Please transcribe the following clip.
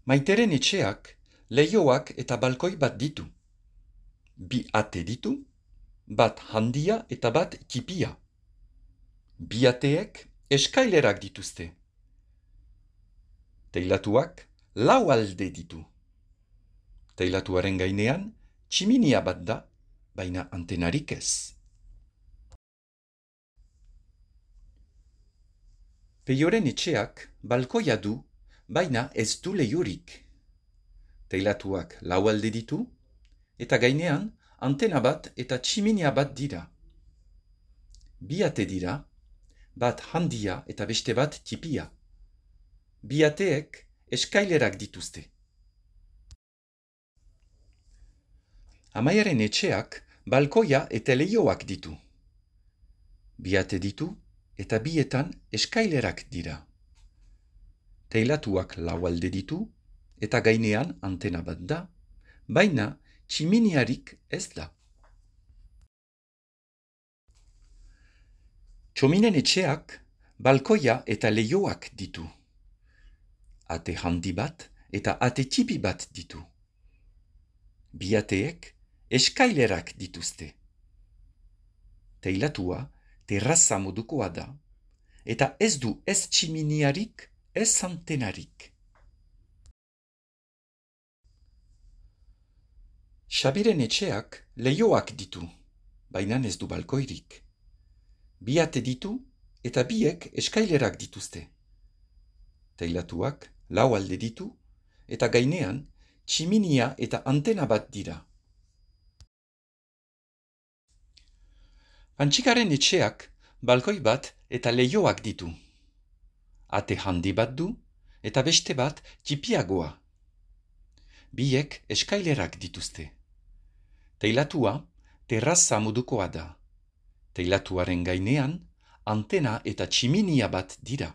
Maiteren etxeak leihoak eta balkoi bat ditu. Bi ate ditu, bat handia eta bat txipia. Bi ateek eskailerak dituzte. Teilatuak 4 alde ditu. Teilatuaren gainean tximinia bat da, baina antenarik ez. Peioren etxeak balkoia du, baina ez du leihorik. Teilatuak 4 alde ditu, eta gainean antena bat eta tximinia bat dira. Bi ate dira, bat handia eta beste bat txipia. Bi ateek eskailerak dituzte. Amaiaren etxeak balkoia eta leihoak ditu. Bi ate ditu eta bietan eskailerak dira. Teilatuak 4 alde ditu eta gainean antena bat da, baina tximiniarik ez da. Txominen etxeak balkoia eta leihoak ditu. Ate handi bat eta ate txipi bat ditu. Bi ateek eskailerak dituzte. Teilatua terraza modukoa da, eta ez du ez tximiniarik, ez antenarik. Xabiren etxeak leihoak ditu, baina ez du balkoirik. Bi ate ditu eta biek eskailerak dituzte. Teilatuak 4 alde ditu eta gainean tximinia eta antena bat dira. Antxikaren etxeak balkoi bat eta leihoak ditu. Ate handi bat du eta beste bat txipiagoa. Biek eskailerak dituzte. Teilatua terraza modukoa da. Teilatuaren gainean antena eta tximinia bat dira.